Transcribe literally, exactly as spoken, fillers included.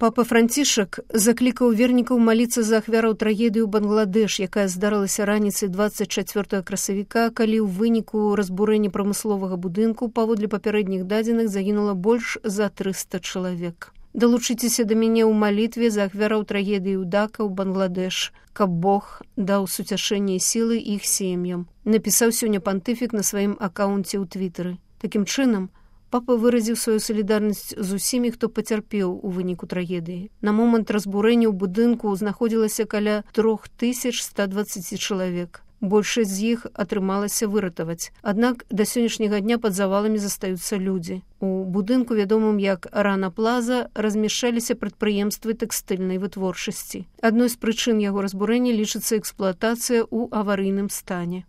Папа Францішак заклікаў вернікаў маліцца за ахвяраў трагедыі ў Бангладэш, якая здарылася раніцай дваццаць чацвёртага красавіка, калі ў выніку разбурэння прамысловага будынку паводле папярэдніх дадзеных загінула больш за трыста чалавек. Далучыцеся да мяне ў малітве за ахвяраў трагедыі ў Дака ў Бангладэш, каб Бог даў суцяшэнне і сілы іх сем'ям, напісаў сёння пантыфік на сваім акаунце ў твітары. Такім чынам, папа выразіў сваю салідарнасць з усімі, хто пацярпеў у выніку трагедыі. На момант разбурэння ў будынку знаходзілася каля тры тысячы ста дваццаць чалавек. Большасць з іх атрымалася выратаваць. Аднак да сённяшняга дня пад заваламі застаюцца людзі. У будынку, вядомым як Рана Плаза, размяшчаліся прадпрыемствы тэкстыльнай вытворчасці. Адной з прычын яго разбурэння лічыцца эксплуатацыя ў аварыйным стане.